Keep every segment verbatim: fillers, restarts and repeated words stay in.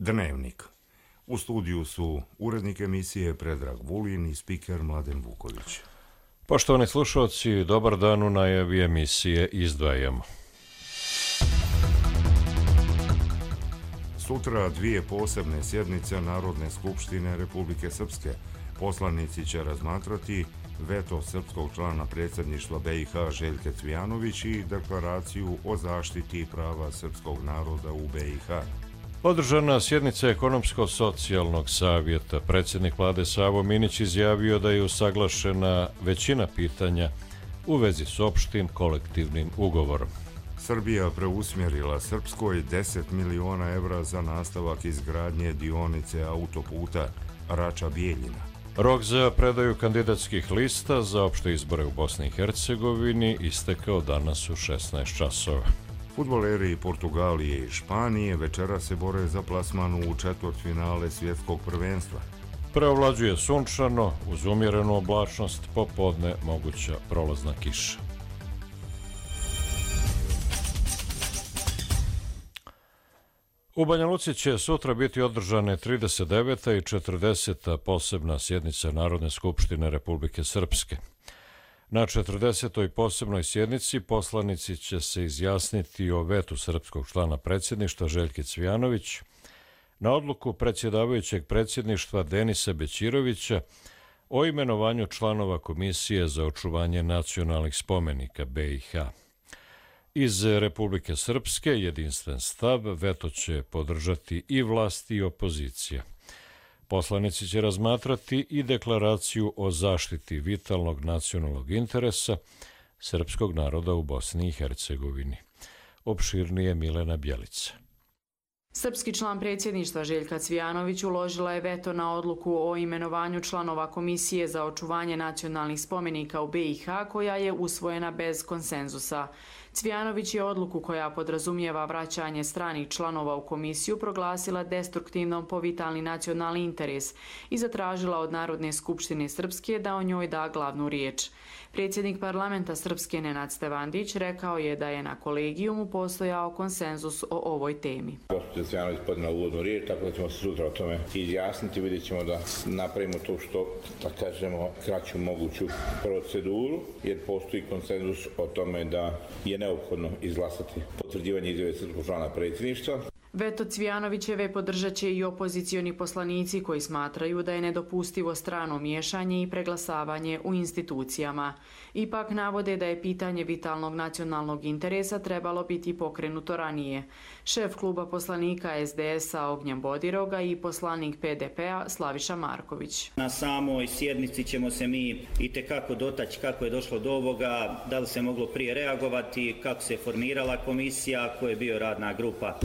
Dnevnik. U studiju su urednik emisije Predrag Vulin i spiker Mladen Vuković. Poštovani slušalci, dobar dan, u najavi emisije izdvajamo. Sutra dvije posebne sjednice Narodne skupštine Republike Srpske. Poslanici će razmatrati veto srpskog člana predsjedništva B i H Željke Cvijanović i deklaraciju o zaštiti prava srpskog naroda u B i H. Održana sjednica Ekonomsko-socijalnog savjeta. Predsjednik vlade Savo Minić izjavio da je usaglašena većina pitanja u vezi s opštim kolektivnim ugovorom. Srbija preusmjerila Srpskoj deset miliona evra za nastavak izgradnje dionice autoputa Rača-Bijeljina. Rok za predaju kandidatskih lista za opšte izbore u Bosni i Hercegovini istekao danas u šesnaest časova. Fudbaleri Portugalije i Španije večera se bore za plasman u četvrtfinale svjetskog prvenstva. Preovlađuje sunčano, uz umjerenu oblačnost, popodne moguća prolazna kiša. U Banja Luci će sutra biti održane trideset deveta i četrdeseta posebna sjednica Narodne skupštine Republike Srpske. Na četrdesetoj posebnoj sjednici poslanici će se izjasniti o vetu srpskog člana predsjedništva Željke Cvijanović na odluku predsjedavajućeg predsjedništva Denisa Bećirovića o imenovanju članova Komisije za očuvanje nacionalnih spomenika B i H. Iz Republike Srpske jedinstven stav veto će podržati i vlast i opozicija. Poslanici će razmatrati i deklaraciju o zaštiti vitalnog nacionalnog interesa srpskog naroda u Bosni i Hercegovini. Opširnije Milena Bjelica. Srpski član predsjedništva Željka Cvijanović uložila je veto na odluku o imenovanju članova Komisije za očuvanje nacionalnih spomenika u B i H koja je usvojena bez konsenzusa. Cvijanović je odluku koja podrazumijeva vraćanje stranih članova u komisiju proglasila destruktivnom po vitalni nacionalni interes i zatražila od Narodne skupštine Srpske da o njoj da glavnu riječ. Predsjednik parlamenta Srpske Nenad Stevandić rekao je da je na kolegijumu postojao konsenzus o ovoj temi. Gospođa Cvijanović podnijela uvodnu riječ, tako da ćemo se sutra o tome izjasniti. Vidjet ćemo da napravimo to što, da kažemo, kraću moguću proceduru, jer postoji konsenzus o tome da je neophodno izglasati potvrđivanje izjave srpskog člana predsjedništva. Veto Cvijanovićeve podržat će i opozicioni poslanici koji smatraju da je nedopustivo strano miješanje i preglasavanje u institucijama. Ipak navode da je pitanje vitalnog nacionalnog interesa trebalo biti pokrenuto ranije. Šef kluba poslanika S D S-a Ognjen Bodiroga i poslanik P D P-a Slaviša Marković. Na samoj sjednici ćemo se mi itekako dotaći kako je došlo do ovoga, da li se moglo prije reagovati, kako se formirala komisija, ko je bio radna grupa.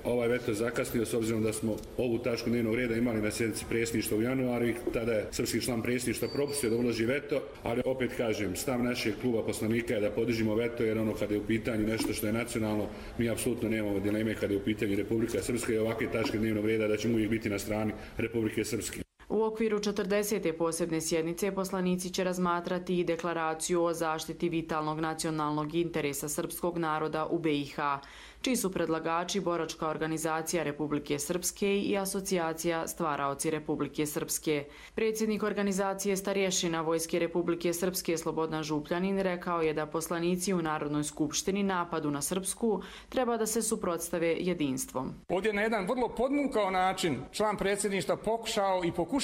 Ovaj veto zakasnio s obzirom da smo ovu tačku dnevnog reda imali na sjednici predsjedništva u januaru i tada je srpski član predsjedništva propustio da uloži veto, ali opet kažem, stav našeg kluba poslanika je da podržimo veto jer ono kada je u pitanju nešto što je nacionalno, mi apsolutno nemamo dileme kada je u pitanju Republika Srpska i ovakve tačke dnevnog reda da ćemo uvijek biti na strani Republike Srpske. U okviru četrdesete posebne sjednice poslanici će razmatrati i deklaraciju o zaštiti vitalnog nacionalnog interesa srpskog naroda u B i H, čiji su predlagači Boračka organizacija Republike Srpske i Asocijacija Stvaraoci Republike Srpske. Predsjednik organizacije Starješina Vojske Republike Srpske Slobodan Župljanin rekao je da poslanici u Narodnoj skupštini napadu na Srpsku treba da se suprotstave jedinstvom. Ovdje na jedan vrlo podmukao način član predsjedništva pokušao i pokušava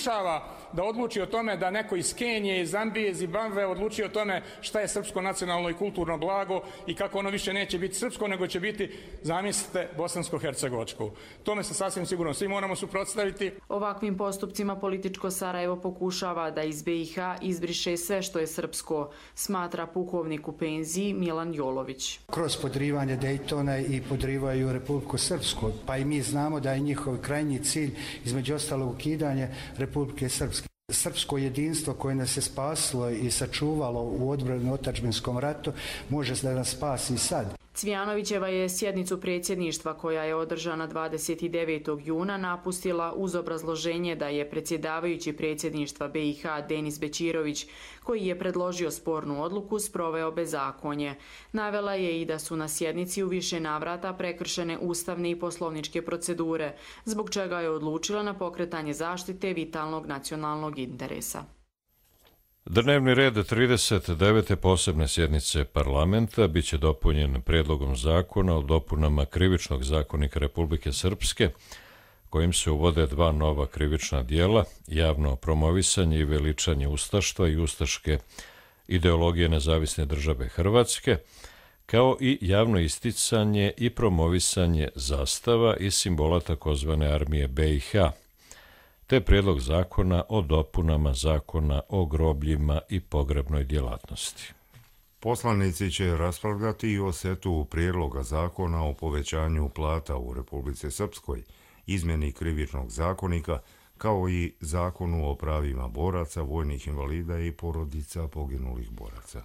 da odluči o tome da neko iz Kenije, iz Zambije, iz Zimbabve odluči o tome šta je srpsko nacionalno i kulturno blago i kako ono više neće biti srpsko, nego će biti, zamislite, bosansko-hercegovačko. Tome se sasvim sigurno svi moramo suprotstaviti. Ovakvim postupcima političko Sarajevo pokušava da iz B i H izbriše sve što je srpsko, smatra pukovnik u penziji Milan Jolović. Kroz podrivanje Dejtona i podrivaju Republiku Srpsku, pa i mi znamo da je njihov krajnji cilj između ostalog ukidanje Republike Srpske. Srpsko jedinstvo koje nas je spasilo i sačuvalo u odbrani otadžbinskom ratu može da nas spasi i sad. Cvijanovićeva je sjednicu predsjedništva koja je održana dvadeset devetog juna napustila uz obrazloženje da je predsjedavajući predsjedništva B i H Denis Bećirović, koji je predložio spornu odluku, sproveo bezakonje. Navela je i da su na sjednici u više navrata prekršene ustavne i poslovničke procedure, zbog čega je odlučila na pokretanje zaštite vitalnog nacionalnog interesa. Dnevni red trideset devete posebne sjednice parlamenta biće dopunjen prijedlogom zakona o dopunama Krivičnog zakonika Republike Srpske, kojim se uvode dva nova krivična dijela, javno promovisanje i veličanje ustaštva i ustaške ideologije Nezavisne države Hrvatske, kao i javno isticanje i promovisanje zastava i simbola takozvane armije B i H, te prijedlog zakona o dopunama zakona o grobljima i pogrebnoj djelatnosti. Poslanici će raspravljati i o setu prijedloga zakona o povećanju plata u Republici Srpskoj, izmjeni krivičnog zakonika, kao i zakonu o pravima boraca, vojnih invalida i porodica poginulih boraca.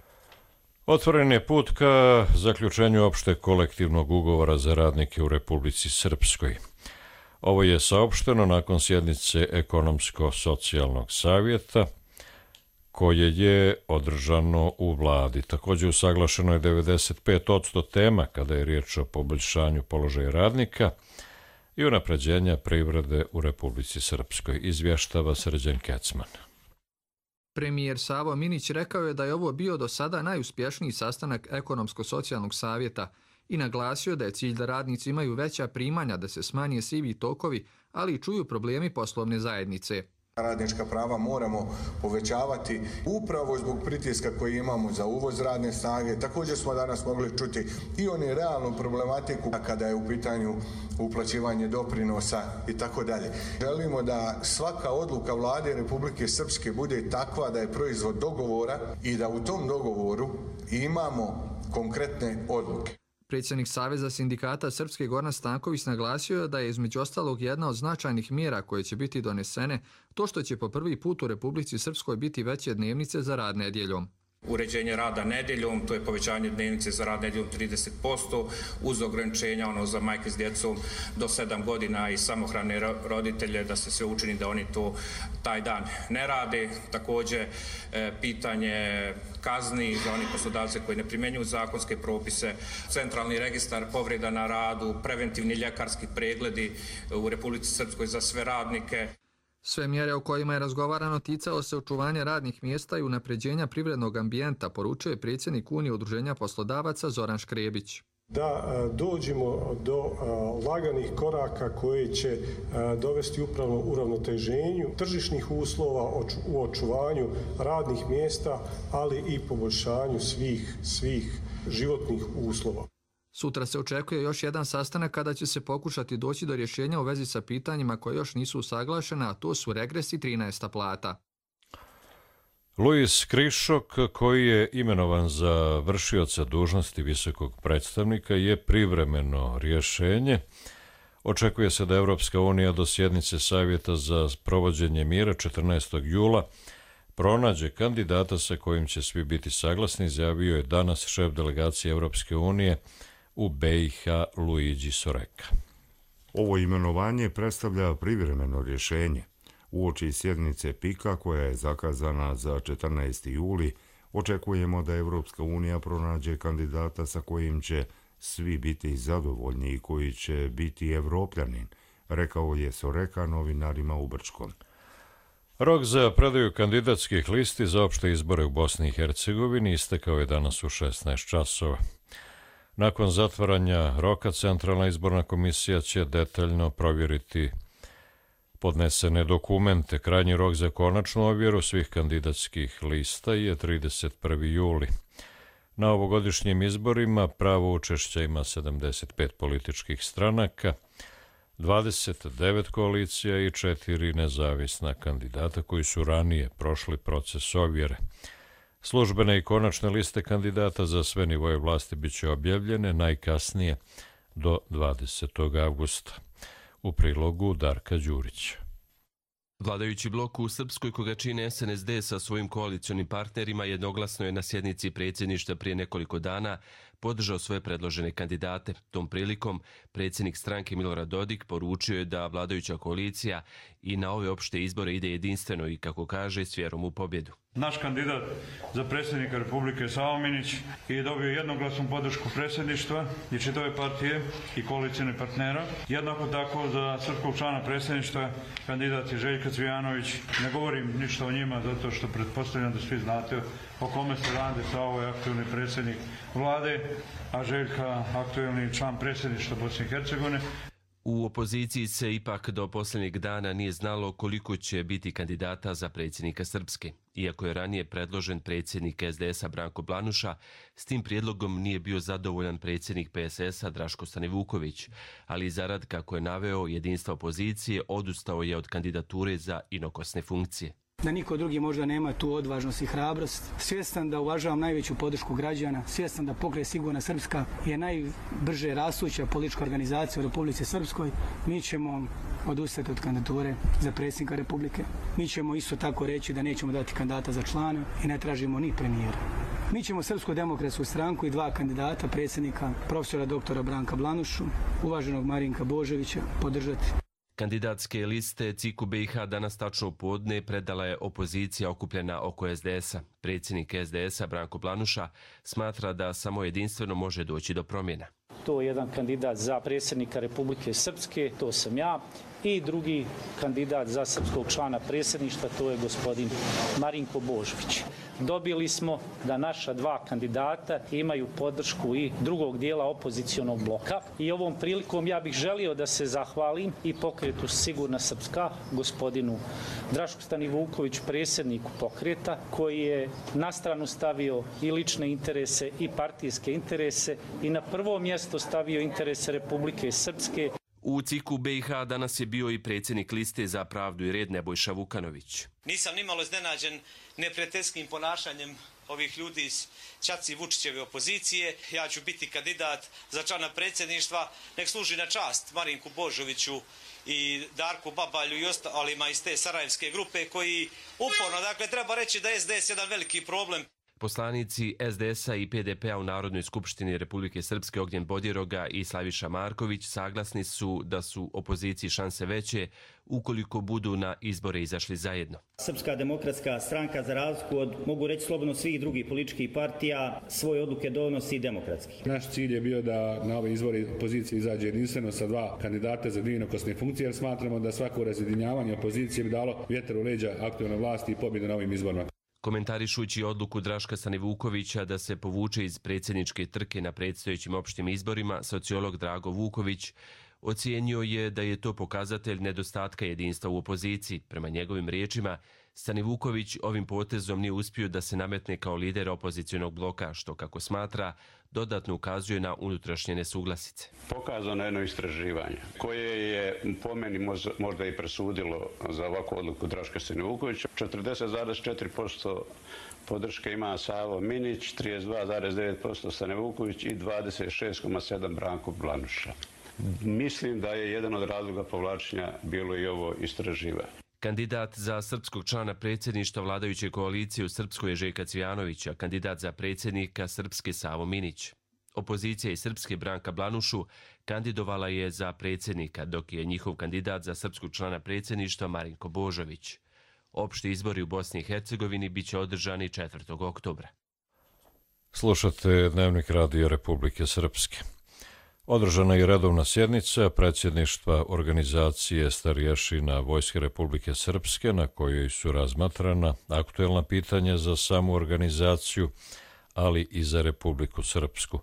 Otvoren je put ka zaključenju opšteg kolektivnog ugovora za radnike u Republici Srpskoj. Ovo je saopšteno nakon sjednice Ekonomsko-socijalnog savjeta koje je održano u vladi. Također usaglašeno je devedeset pet posto tema kada je riječ o poboljšanju položaja radnika i unapređenja privrede u Republici Srpskoj, izvještava Srđan Kecman. Premijer Savo Minić rekao je da je ovo bio do sada najuspješniji sastanak Ekonomsko-socijalnog savjeta i naglasio da je cilj da radnici imaju veća primanja, da se smanje sivi tokovi, ali i čuju problemi poslovne zajednice. Radnička prava moramo povećavati upravo zbog pritiska koji imamo za uvoz radne snage. Također smo danas mogli čuti i oni realnu problematiku kada je u pitanju uplaćivanje doprinosa i tako dalje. Želimo da svaka odluka Vlade Republike Srpske bude takva da je proizvod dogovora i da u tom dogovoru imamo konkretne odluke. Predsjednik Saveza sindikata Srpske Goran Stanković naglasio da je između ostalog jedna od značajnih mjera koje će biti donesene to što će po prvi put u Republici Srpskoj biti veće dnevnice za rad nedjeljom. Uređenje rada nedjeljom, to je povećanje dnevnice za rad nedjeljom trideset posto, uz ograničenja ono za majke s djecom do sedam godina i samohrane roditelje, da se sve učini da oni to taj dan ne rade. Također e, pitanje kazni za oni poslodavce koji ne primjenjuju zakonske propise, centralni registar povreda na radu, preventivni ljekarski pregledi u Republici Srpskoj za sve radnike. Sve mjere o kojima je razgovarano ticalo se očuvanja radnih mjesta i unapređenja privrednog ambijenta, poručuje predsjednik Unije udruženja poslodavaca Zoran Škrebić. Da dođemo do laganih koraka koji će dovesti upravo uravnoteženju tržišnih uslova, u očuvanju radnih mjesta, ali i poboljšanju svih, svih životnih uslova. Sutra se očekuje još jedan sastanak kada će se pokušati doći do rješenja u vezi sa pitanjima koje još nisu usaglašena, a to su regres i trinaesta plata. Luis Krišok, koji je imenovan za vršioca dužnosti visokog predstavnika, je privremeno rješenje. Očekuje se da Evropska unija do sjednice Savjeta za provođenje mira četrnaestog jula pronađe kandidata sa kojim će svi biti saglasni, izjavio je danas šef delegacije Evropske unije u B i H Luigi Soreka. Ovo imenovanje predstavlja privremeno rješenje. Uoči sjednice Pika koja je zakazana za četrnaesti juli, očekujemo da Evropska unija pronađe kandidata sa kojim će svi biti zadovoljni i koji će biti evropljanin, rekao je Soreka novinarima u Brčkom. Rok za predaju kandidatskih listi za opšte izbore u Bosni i Hercegovini istekao je danas u šesnaest časova. Nakon zatvaranja roka, Centralna izborna komisija će detaljno provjeriti podnesene dokumente. Krajnji rok za konačnu ovjeru svih kandidatskih lista je trideset prvi juli. Na ovogodišnjim izborima pravo učešća ima sedamdeset pet političkih stranaka, dvadeset devet koalicija i četiri nezavisna kandidata koji su ranije prošli proces ovjere. Službene i konačne liste kandidata za sve nivoje vlasti biće objavljene najkasnije do dvadesetog avgusta. U prilogu Darka Đurića. Vladajući blok u Srpskoj, koga čine S N S D sa svojim koalicionim partnerima, jednoglasno je na sjednici predsjedništva prije nekoliko dana podržao svoje predložene kandidate. Tom prilikom predsjednik stranke Milorad Dodik poručio je da vladajuća koalicija i na ove opšte izbore ide jedinstveno i, kako kaže, s vjerom u pobjedu. Naš kandidat za predsjednika Republike Savo Minić je dobio jednoglasnu podršku predsjedništva i čitave partije i koalicijne partnera. Jednako tako za srpskog člana predsjedništva kandidat je Željka Cvijanović. Ne govorim ništa o njima zato što pretpostavljam da svi znate o kome se radi. Savo je aktuelni predsjednik vlade, a Željka aktuelni član predsjedništva Bosne i Hercegovine. U opoziciji se ipak do posljednjeg dana nije znalo koliko će biti kandidata za predsjednika Srpske. Iako je ranije predložen predsjednik es de es a Branko Blanuša, s tim prijedlogom nije bio zadovoljan predsjednik pe es es a Draško Stanivuković, ali zarad, kako je naveo, jedinstva opozicije, odustao je od kandidature za inokosne funkcije. Da niko drugi možda nema tu odvažnost i hrabrost. Svjestan da uvažavam najveću podršku građana, svjestan da Pokret Sigurna Srpska je najbrže rastuća politička organizacija u Republici Srpskoj, mi ćemo odustati od kandidature za predsjednika Republike. Mi ćemo isto tako reći da nećemo dati kandidata za člana i ne tražimo ni premijera. Mi ćemo Srpsku demokratsku stranku i dva kandidata, predsjednika profesora doktora Branka Blanušu, uvaženog Marinka Božovića, podržati. Kandidatske liste C I K U be i ha danas tačno u podne predala je opozicija okupljena oko es de es a. Predsjednik es de es a Branko Blanuša smatra da samo jedinstveno može doći do promjena. To je jedan kandidat za predsjednika Republike Srpske, to sam ja, i drugi kandidat za srpskog člana predsjedništva, to je gospodin Marinko Božović. Dobili smo da naša dva kandidata imaju podršku i drugog dijela opozicionog bloka i ovom prilikom ja bih želio da se zahvalim i Pokretu Sigurna Srpska, gospodinu Drašku Stanivukoviću, predsjedniku pokreta, koji je na stranu stavio i lične interese i partijske interese i na prvo mjesto stavio interese Republike Srpske. U C I K U be i ha danas je bio i predsjednik liste za pravdu i red Nebojša Vukanović. Nisam nimalo iznenađen neprijateljskim ponašanjem ovih ljudi iz Ćaci Vučićeve opozicije. Ja ću biti kandidat za člana predsjedništva. Nek služi na čast Marinku Božoviću i Darku Babalju i ostalima iz te sarajevske grupe koji uporno, dakle, treba reći da je es de es jedan veliki problem. Poslanici es de es a i pe de pe a u Narodnoj skupštini Republike Srpske Ognjen Bodiroga i Slaviša Marković saglasni su da su opoziciji šanse veće ukoliko budu na izbore izašli zajedno. Srpska demokratska stranka, za razliku od, mogu reći slobodno, svih drugih političkih partija, svoje odluke donosi demokratski. Naš cilj je bio da na ove izbore opozicije izađe jedinstveno sa dva kandidata za dvije inokosne funkcije, jer smatramo da svako razjedinjavanje opozicije bi dalo vjetar u leđa aktualne vlasti i pobjede na ovim izborima. Komentarišući odluku Draška Stanivukovića da se povuče iz predsjedničke trke na predstojećim opštim izborima, sociolog Drago Vuković ocijenio je da je to pokazatelj nedostatka jedinstva u opoziciji. Prema njegovim riječima, Stanivuković ovim potezom nije uspio da se nametne kao lider opozicionog bloka, što, kako smatra, dodatno ukazuje na unutrašnje nesuglasice. Pokazano jedno istraživanje koje je po meni možda i presudilo za ovakvu odluku Draška Stanivukovića. četrdeset zarez četiri posto podrške ima Savo Minić, trideset dva zarez devet posto Stanivuković i dvadeset šest zarez sedam Branko Blanuša. Mislim da je jedan od razloga povlačenja bilo i ovo istraživanje. Kandidat za srpskog člana predsjedništva vladajuće koalicije u Srpskoj je Željka Cvijanović, a kandidat za predsjednika Srpske Savo Minić. Opozicija iz Srpske Branka Blanušu kandidovala je za predsjednika, dok je njihov kandidat za srpskog člana predsjedništva Marinko Božović. Opšti izbori u Bosni i Hercegovini biće održani četvrtog oktobra. Slušate Dnevnik Radio Republike Srpske. Održana je redovna sjednica predsjedništva organizacije starješina Vojske Republike Srpske, na kojoj su razmatrana aktuelna pitanja za samu organizaciju, ali i za Republiku Srpsku.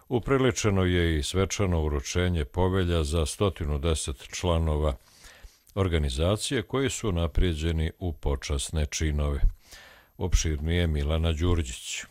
Upriličeno je i svečano uručenje povelja za sto deset članova organizacije koji su naprijeđeni u počasne činove. Opširnije Milana Đurđić.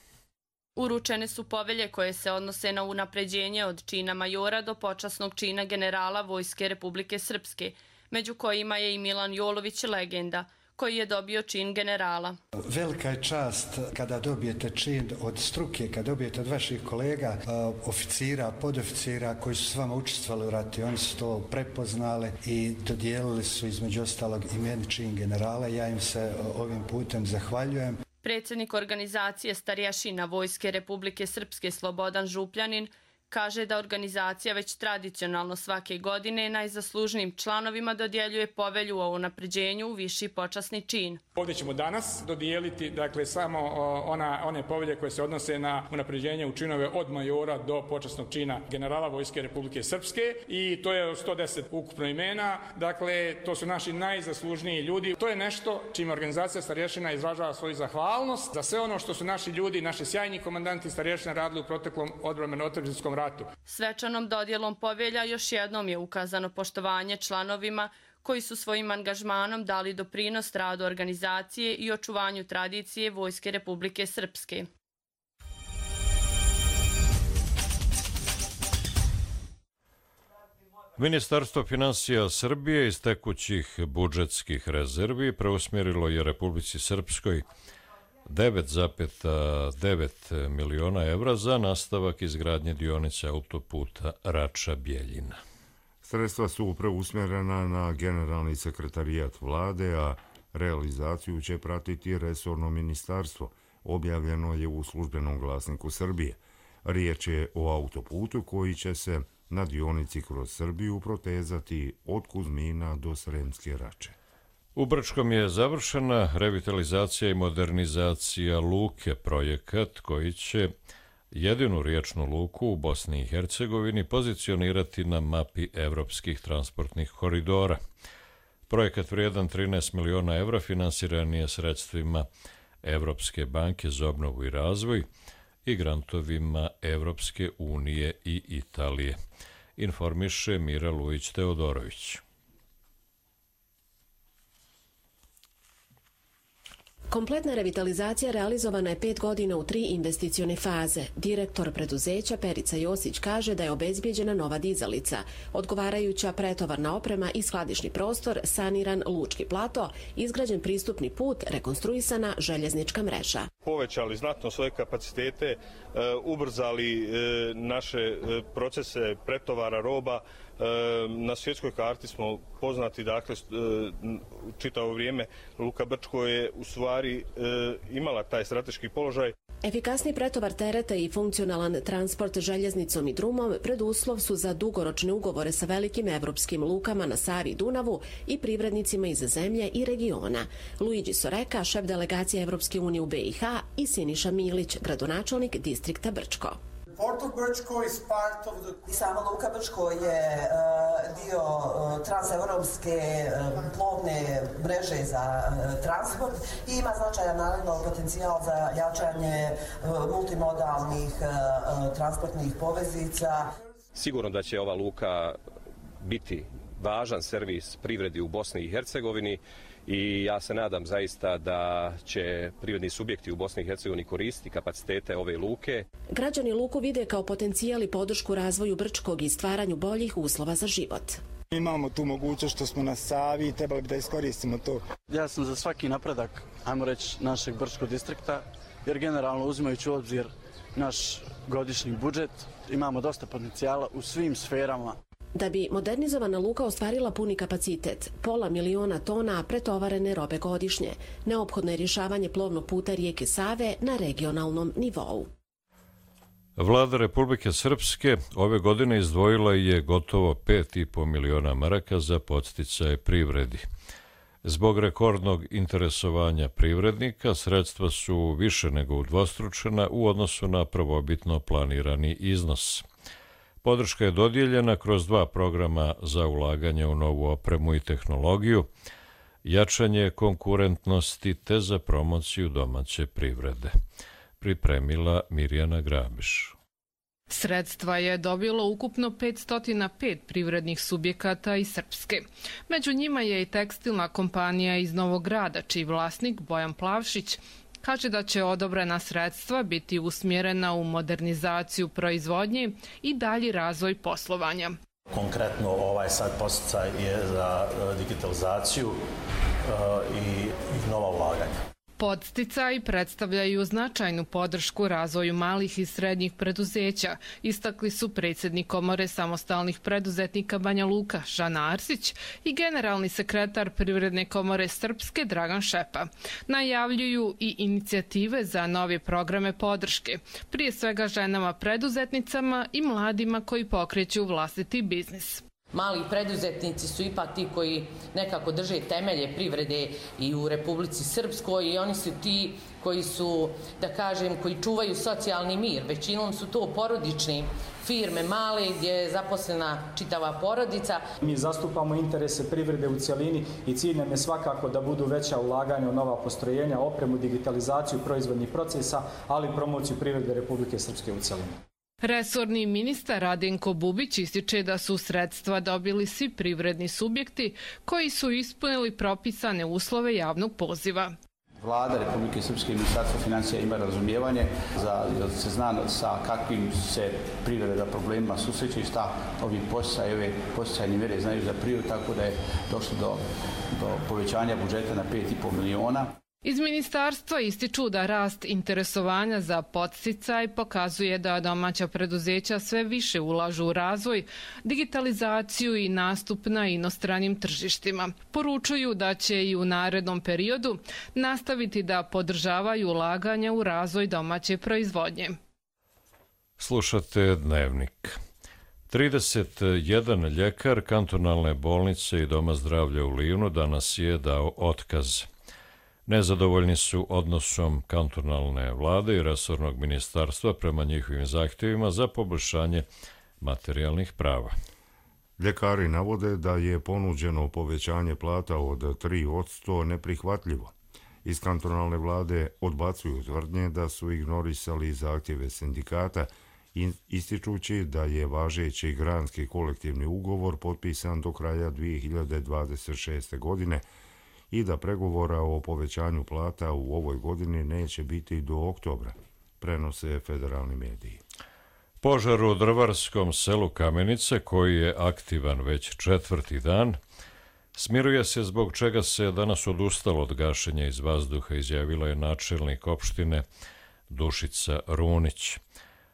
Uručene su povelje koje se odnose na unapređenje od čina majora do počasnog čina generala Vojske Republike Srpske, među kojima je i Milan Jolović, legenda, koji je dobio čin generala. Velika je čast kada dobijete čin od struke, kada dobijete od vaših kolega, oficira, podoficira koji su s vama učestvovali u ratu. Oni su to prepoznali i dodijelili su između ostalog i meni čin generala. Ja im se ovim putem zahvaljujem. Predsjednik organizacije starješina Vojske Republike Srpske Slobodan Župljanin kaže da organizacija već tradicionalno svake godine najzaslužnijim članovima dodjeljuje povelju o unapređenju u viši počasni čin. Ovdje ćemo danas dodijeliti dakle, samo ona, one povelje koje se odnose na unapređenje u činove od majora do počasnog čina generala Vojske Republike Srpske i to je sto deset ukupno imena. Dakle, to su naši najzaslužniji ljudi. To je nešto čime organizacija starješina izražava svoju zahvalnost za sve ono što su naši ljudi, naši sjajni komandanti starješina radili u proteklom odbrambeno-otadžbinskom ratu. Svečanom dodjelom povelja još jednom je ukazano poštovanje članovima koji su svojim angažmanom dali doprinos radu organizacije i očuvanju tradicije Vojske Republike Srpske. Ministarstvo finansija Srbije iz tekućih budžetskih rezervi preusmjerilo je Republici Srpskoj devet zarez devet miliona evra za nastavak izgradnje dionice autoputa Rača-Bjeljina. Sredstva su preusmjerena na generalni sekretarijat vlade, a realizaciju će pratiti resorno ministarstvo. Objavljeno je u službenom glasniku Srbije. Riječ je o autoputu koji će se na dionici kroz Srbiju protezati od Kuzmina do Sremske Rače. U Brčkom je završena revitalizacija i modernizacija luke, projekat koji će jedinu riječnu luku u Bosni i Hercegovini pozicionirati na mapi evropskih transportnih koridora. Projekat vrijedan trinaest miliona evra finansiran je sredstvima Evropske banke za obnovu i razvoj i grantovima Evropske unije i Italije, informiše Mira Lujić-Teodorović. Kompletna revitalizacija realizovana je pet godina u tri investicione faze. Direktor preduzeća Perica Josić kaže da je obezbijeđena nova dizalica, odgovarajuća pretovarna oprema i skladišni prostor, saniran lučki plato, izgrađen pristupni put, rekonstruisana željeznička mreža. Povećali znatno svoje kapacitete, ubrzali naše procese pretovara roba. Na svjetskoj karti smo poznati, dakle, čitavo vrijeme Luka Brčko je u stvari imala taj strateški položaj. Efikasni pretovar tereta i funkcionalan transport željeznicom i drumom preduslov su za dugoročne ugovore sa velikim evropskim lukama na Savi i Dunavu i privrednicima iz zemlje i regiona. Luigi Soreka, šef delegacije Evropske unije u B i H, i Siniša Milić, gradonačelnik distrikta Brčko. I sama Luka Brčko je dio transeuropske plovne mreže za transport i ima značajan naravno potencijal za jačanje multimodalnih transportnih poveznica. Sigurno da će ova luka biti važan servis privredi u Bosni i Hercegovini i ja se nadam zaista da će privredni subjekti u Bosni i Hercegovini koristiti kapacitete ove luke. Građani luku vide kao potencijal i podršku razvoju Brčkog i stvaranju boljih uslova za život. Imamo tu mogućnost što smo na Savi i trebali bi da iskoristimo to. Ja sam za svaki napredak, ajmo reći, našeg Brčkog distrikta, jer generalno uzimajući u obzir naš godišnji budžet, imamo dosta potencijala u svim sferama. Da bi modernizovana luka ostvarila puni kapacitet, pola miliona tona pretovarene robe godišnje, neophodno je rješavanje plovnog puta rijeke Save na regionalnom nivou. Vlada Republike Srpske ove godine izdvojila je gotovo pet i po miliona maraka za podsticaje privredi. Zbog rekordnog interesovanja privrednika, sredstva su više nego udvostručena u odnosu na prvobitno planirani iznos. Podrška je dodijeljena kroz dva programa za ulaganje u novu opremu i tehnologiju, jačanje konkurentnosti te za promociju domaće privrede. Pripremila Mirjana Grabiš. Sredstva je dobilo ukupno petsto pet privrednih subjekata iz Srpske. Među njima je i tekstilna kompanija iz Novog Grada, čiji vlasnik Bojan Plavšić kaže da će odobrena sredstva biti usmjerena u modernizaciju proizvodnje i dalji razvoj poslovanja. Konkretno ovaj sad podsticaj je za digitalizaciju i nova ulaganja. Podsticaji predstavljaju značajnu podršku razvoju malih i srednjih preduzeća, istakli su predsjednik Komore samostalnih preduzetnika Banja Luka Žana Arsić i generalni sekretar Privredne komore Srpske Dragan Šepa. Najavljuju i inicijative za nove programe podrške, prije svega ženama preduzetnicama i mladima koji pokreću vlastiti biznis. Mali preduzetnici su ipak ti koji nekako drže temelje privrede i u Republici Srpskoj i oni su ti koji su, da kažem, koji čuvaju socijalni mir. Većinom su to porodične firme male gdje je zaposlena čitava porodica. Mi zastupamo interese privrede u cjelini i cilj nam je svakako da budu veća ulaganja u nova postrojenja, opremu, digitalizaciju proizvodnih procesa, ali i promociju privrede Republike Srpske u cjelini. Resorni ministar Radenko Bubić ističe da su sredstva dobili svi privredni subjekti koji su ispunili propisane uslove javnog poziva. Vlada Republike Srpske i Ministarstvo financija ima razumijevanje za da se zna sa kakvim se privreda problemima susreće i šta ovi posticaji, ove posticajne mjere znaju za privredu, tako da je došlo do, do povećanja budžeta na pet i po miliona. Iz ministarstva ističu da rast interesovanja za podsticaj pokazuje da domaća preduzeća sve više ulažu u razvoj, digitalizaciju i nastup na inostranim tržištima. Poručuju da će i u narednom periodu nastaviti da podržavaju ulaganja u razvoj domaće proizvodnje. Slušate Dnevnik. trideset jedan ljekar kantonalne bolnice i Doma zdravlja u Livnu danas je dao otkaz. Nezadovoljni su odnosom kantonalne vlade i resornog ministarstva prema njihovim zahtjevima za poboljšanje materijalnih prava. Ljekari navode da je ponuđeno povećanje plata od tri posto neprihvatljivo. Iz kantonalne vlade odbacuju tvrdnje da su ignorisali zahtjeve sindikata, ističući da je važeći granski kolektivni ugovor potpisan do kraja dvije hiljade dvadeset šeste. godine i da pregovora o povećanju plata u ovoj godini neće biti do oktobra, prenose federalni mediji. Požar u drvarskom selu Kamenice, koji je aktivan već četvrti dan, smiruje se zbog čega se danas odustalo od gašenja iz vazduha, izjavila je načelnik opštine Dušica Runić.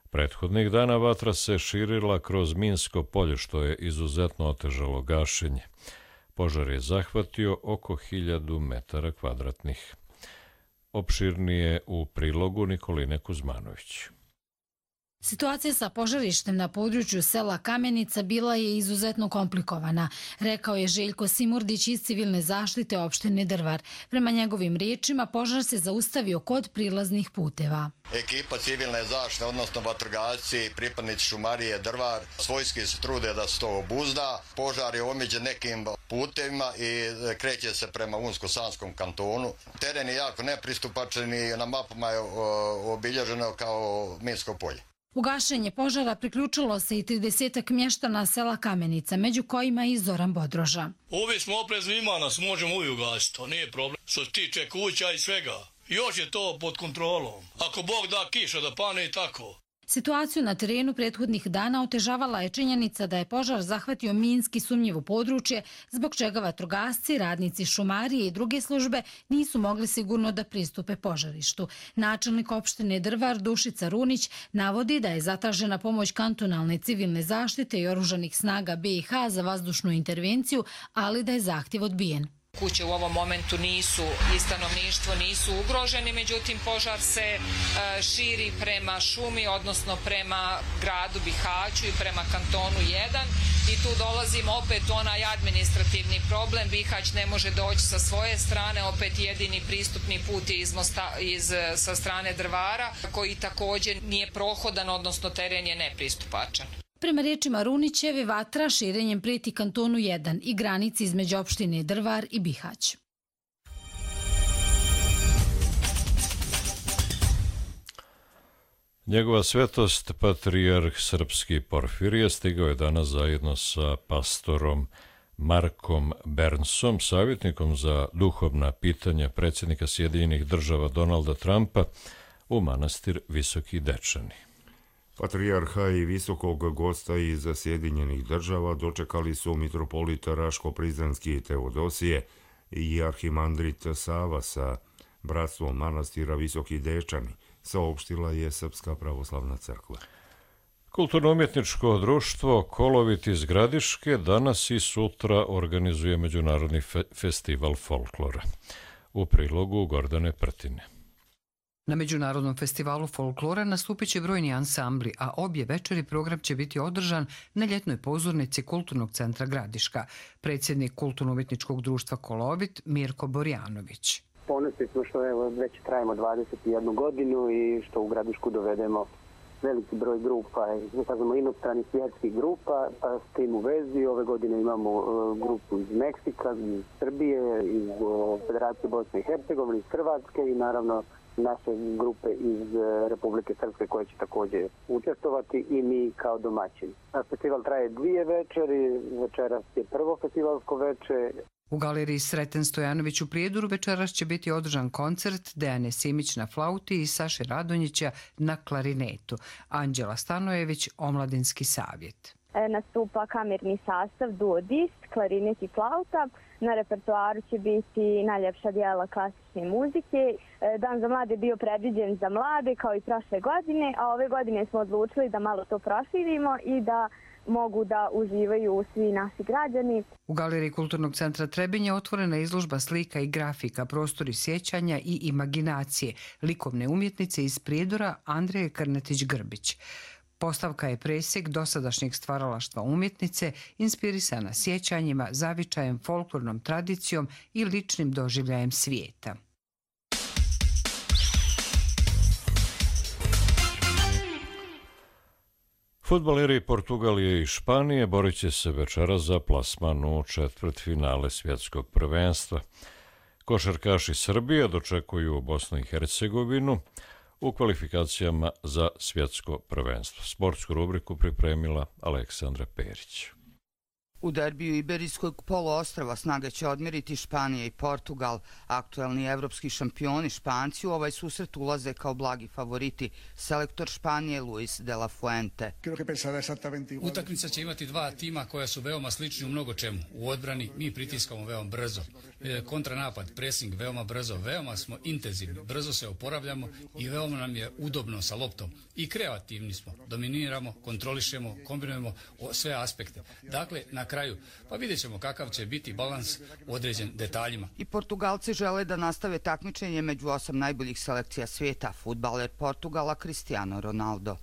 Prethodnih dana vatra se širila kroz minsko polje, što je izuzetno otežalo gašenje. Požar je zahvatio oko hiljadu metara kvadratnih. Opširnije u prilogu Nikoline Kuzmanović. Situacija sa požarištem na području sela Kamenica bila je izuzetno komplikovana, rekao je Željko Simurdić iz civilne zaštite opštine Drvar. Prema njegovim riječima, požar se zaustavio kod prilaznih puteva. Ekipa civilne zaštite, odnosno vatrogasci, pripadnici šumarije Drvar, svojski se trude da se to obuzda. Požar je omeđen nekim putevima i kreće se prema Unsko-Sanskom kantonu. Teren je jako nepristupačan i na mapama je obilježeno kao minsko polje. U gašenje požara priključilo se i tridesetak mještana sela Kamenica, među kojima i Zoran Bodroža. Ovi smo oprezni, ima nas, možemo uvijek ugasiti, to nije problem. Što se tiče kuća i svega, još je to pod kontrolom. Ako Bog da kiša da pane i tako. Situaciju na terenu prethodnih dana otežavala je činjenica da je požar zahvatio minski sumnjivo područje, zbog čega vatrogasci, radnici šumarije i druge službe nisu mogli sigurno da pristupe požarištu. Načelnik opštine Drvar Dušica Runić navodi da je zatražena pomoć kantonalne civilne zaštite i oružanih snaga B i H za vazdušnu intervenciju, ali da je zahtjev odbijen. Kuće u ovom momentu nisu i stanovništvo nisu ugroženi, međutim požar se širi prema šumi, odnosno prema gradu Bihaću i prema kantonu jedan i tu dolazimo opet onaj administrativni problem. Bihać ne može doći sa svoje strane, opet jedini pristupni put je iz Mosta, iz, sa strane Drvara, koji također nije prohodan, odnosno teren je nepristupačan. Prema riječima Runićeve, vatra širenjem prijeti kantonu jedan i granici između opštine Drvar i Bihać. Njegova svetost, patrijarh srpski Porfirije, stigao je danas zajedno sa pastorom Markom Bernsom, savjetnikom za duhovna pitanja predsjednika Sjedinjenih država Donalda Trumpa, u manastir Visoki Dečani. Patrijarha i visokog gosta iz Sjedinjenih država dočekali su mitropolita Raško-Prizrenski Teodosije i arhimandrit Sava sa Bratstvo manastira Visoki Dečani, saopštila je Srpska pravoslavna crkva. Kulturno-umjetničko društvo Kolovit iz Gradiške danas i sutra organizuje Međunarodni fe festival folklora. U prilogu Gordane Prtine. Na Međunarodnom festivalu folklora nastupit će brojni ansambli, a obje večeri program će biti održan na ljetnoj pozornici Kulturnog centra Gradiška. Predsjednik Kulturno-umjetničkog društva Kolovit Mirko Borjanović. Ponosni smo što evo, već trajimo dvadeset jednu godinu i što u Gradišku dovedemo veliki broj grupa, ne kažemo inostranih svjetskih grupa, pa s tim u vezi ove godine imamo uh, grupu iz Meksika, iz Srbije, iz uh, Federacije Bosne i Hercegovine, iz Hrvatske i naravno naše grupe iz uh, Republike Srpske koje će također učestvovati i mi kao domaćini. A festival traje dvije večeri, večeras je prvo festivalsko veče. U galeriji Sreten Stojanović u Prijedoru večeras će biti održan koncert Dejane Simić na flauti i Saše Radonjića na klarinetu. Anđela Stanojević, Omladinski savjet. Nastupa kamerni sastav Duo Dist, klarinet i flauta. Na repertoaru će biti najljepša dijela klasične muzike. Dan za mlade je bio predviđen za mlade kao i prošle godine, a ove godine smo odlučili da malo to proširimo i da mogu da uživaju svi naši građani. U galeriji Kulturnog centra Trebinje otvorena izložba slika i grafika, prostori sjećanja i imaginacije, likovne umjetnice iz Prijedora Andreje Krnetić-Grbić. Postavka je presjek dosadašnjeg stvaralaštva umjetnice, inspirisana sjećanjima, zavičajem, folklornom tradicijom i ličnim doživljajem svijeta. Fudbaleri Portugalije i Španije borit će se večeras za plasman u četvrtfinale svjetskog prvenstva. Košarkaši Srbije dočekuju Bosnu i Hercegovinu u kvalifikacijama za svjetsko prvenstvo. Sportsku rubriku pripremila Aleksandra Perić. U derbiju Iberijskog poluostrva snage će odmjeriti Španija i Portugal. Aktuelni evropski šampioni Španci u ovaj susret ulaze kao blagi favoriti. Selektor Španije Luis de la Fuente. Utakmica će imati dva tima koja su veoma slični u mnogo čemu. U odbrani mi pritiskamo veoma brzo. Kontranapad, pressing veoma brzo. Veoma smo intenzivni, brzo se oporavljamo i veoma nam je udobno sa loptom. I kreativni smo. Dominiramo, kontrolišemo, kombinujemo sve aspekte. Dakle, na kraju, pa vidjet ćemo kakav će biti balans određen detaljima. I Portugalci žele da nastave takmičenje među osam najboljih selekcija svijeta. Fudbaler Portugala Cristiano Ronaldo.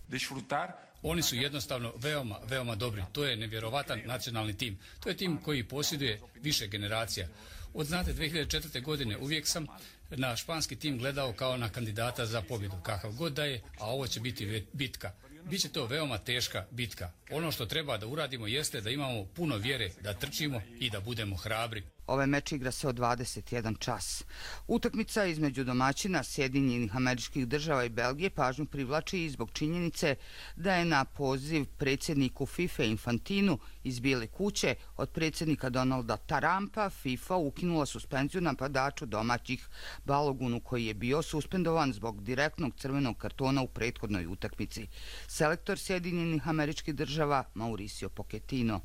Oni su jednostavno veoma, veoma dobri. To je nevjerovatan nacionalni tim. To je tim koji posjeduje više generacija. Od, znate, dvije hiljade četvrte. godine uvijek sam na španski tim gledao kao na kandidata za pobjedu. Kakav god da je, a ovo će biti bitka. Biće to veoma teška bitka. Ono što treba da uradimo jeste da imamo puno vjere, da trčimo i da budemo hrabri. Ovaj meč igra se od dvadeset jedan čas. Utakmica između domaćina Sjedinjenih Američkih Država i Belgije pažnju privlači i zbog činjenice da je na poziv predsjedniku FIFA Infantinu iz Bijele kuće od predsjednika Donalda Trumpa FIFA ukinula suspenziju napadaču domaćih Balogunu koji je bio suspendovan zbog direktnog crvenog kartona u prethodnoj utakmici. Selektor Sjedinjenih Američkih Država Mauricio Pochettino.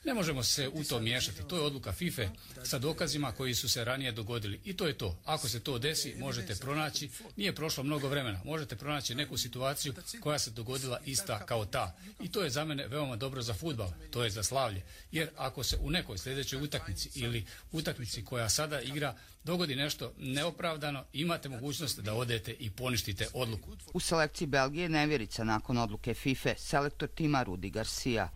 Ne možemo se u to miješati. To je odluka FIFA sa dokazima koji su se ranije dogodili. I to je to. Ako se to desi, možete pronaći, nije prošlo mnogo vremena, možete pronaći neku situaciju koja se dogodila ista kao ta. I to je za mene veoma dobro za fudbal, to je za slavlje. Jer ako se u nekoj sljedećoj utakmici ili utakmici koja sada igra dogodi nešto neopravdano, imate mogućnost da odete i poništite odluku. U selekciji Belgije nevjerica nakon odluke FIFA, selektor tima Rudi Garcia.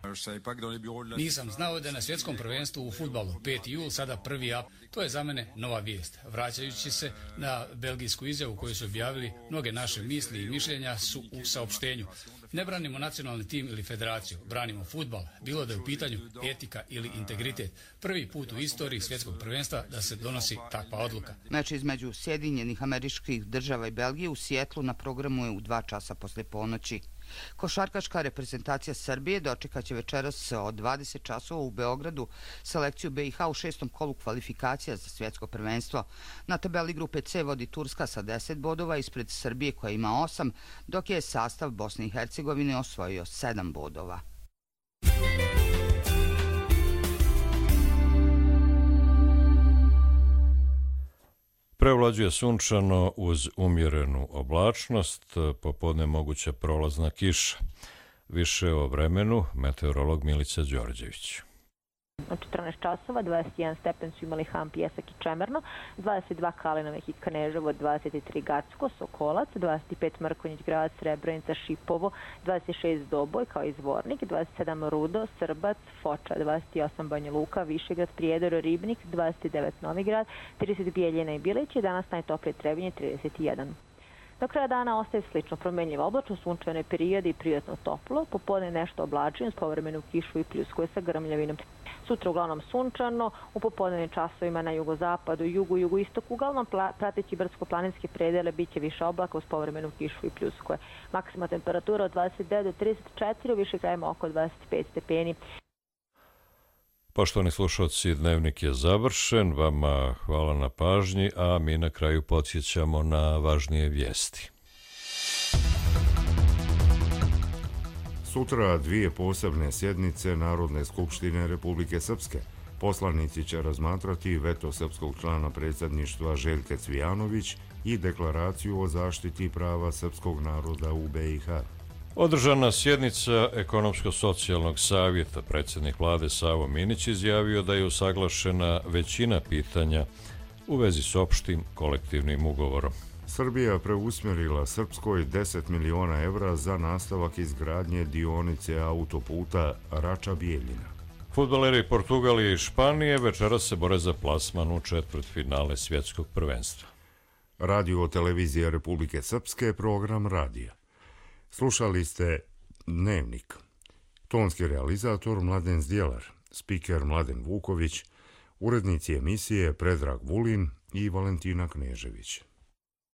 Nisam znao da je na svjetskom prvenstvu u fudbalu peti jul sada prvi ap. To je za mene nova vijest. Vraćajući se na belgijsku izjavu koju su objavili, mnoge naše misli i mišljenja su u saopštenju. Ne branimo nacionalni tim ili federaciju, branimo fudbal, bilo da je u pitanju etika ili integritet. Prvi put u istoriji svjetskog prvenstva da se donosi takva odluka. Meč između Sjedinjenih Američkih Država i Belgije u Sijetlu na programu je u dva časa posle ponoći. Košarkaška reprezentacija Srbije dočekat će večeras od dvadeset časova u Beogradu selekciju B i H u šestom kolu kvalifikacija za svjetsko prvenstvo. Na tabeli grupe C vodi Turska sa deset bodova ispred Srbije koja ima osam, dok je sastav Bosne i Hercegovine osvojio sedam bodova. Prevlađuje sunčano uz umjerenu oblačnost, popodne moguća prolazna kiša. Više o vremenu meteorolog Milica Đorđević. U četrnaest časova, dvadeset jedan stepen su imali Ham, Pijesak i Čemerno, dvadeset dva Kalinovih i Kneževo, dvadeset tri Gacko, Sokolac, dvadeset pet Mrkonjić, Grad, Srebrenica, Šipovo, dvadeset šest Doboj kao i Zvornik, dvadeset sedam Rudo, Srbac, Foča, dvadeset osam Banja Luka, Višegrad, Prijedor, Ribnik, dvadeset devet Novigrad, trideset Bijeljina i Bilić i danas najtoplije Trebinje trideset jedan. Do kraja dana ostaje slično promenljivo oblačno, sunčane periode i prijatno toplo, popodne nešto oblačeno s povremenu kišu i pljuskuje sa grmljavinom. Sutra uglavnom sunčano, u popodnevnim časovima na jugozapadu, jugu, jugoistoku, uglavnom prateći brdsko-planinske predele bit će više oblaka uz povremenu kišu i pljuskuje. Maksimalna temperatura od dvadeset devet do trideset četiri, u više krajima oko dvadeset pet stepeni. Poštovani slušalci, dnevnik je završen, vama hvala na pažnji, a mi na kraju podsjećamo na važnije vijesti. Sutra dvije posebne sjednice Narodne skupštine Republike Srpske. Poslanici će razmatrati veto srpskog člana predsjedništva Željke Cvijanović i deklaraciju o zaštiti prava srpskog naroda u B i H. Održana sjednica Ekonomsko-socijalnog savjeta, predsjednik vlade Savo Minić izjavio da je usaglašena većina pitanja u vezi s opštim kolektivnim ugovorom. Srbija preusmjerila Srpskoj deset miliona evra za nastavak izgradnje dionice autoputa Rača-Bijeljina. Fudbaleri Portugalije i Španije večeras se bore za plasman u četvrtfinale svjetskog prvenstva. Radio televizija Republike Srpske, program radija. Slušali ste Dnevnik. Tonski realizator Mladen Zdjelar, spiker Mladen Vuković, urednici emisije Predrag Vulin i Valentina Knežević.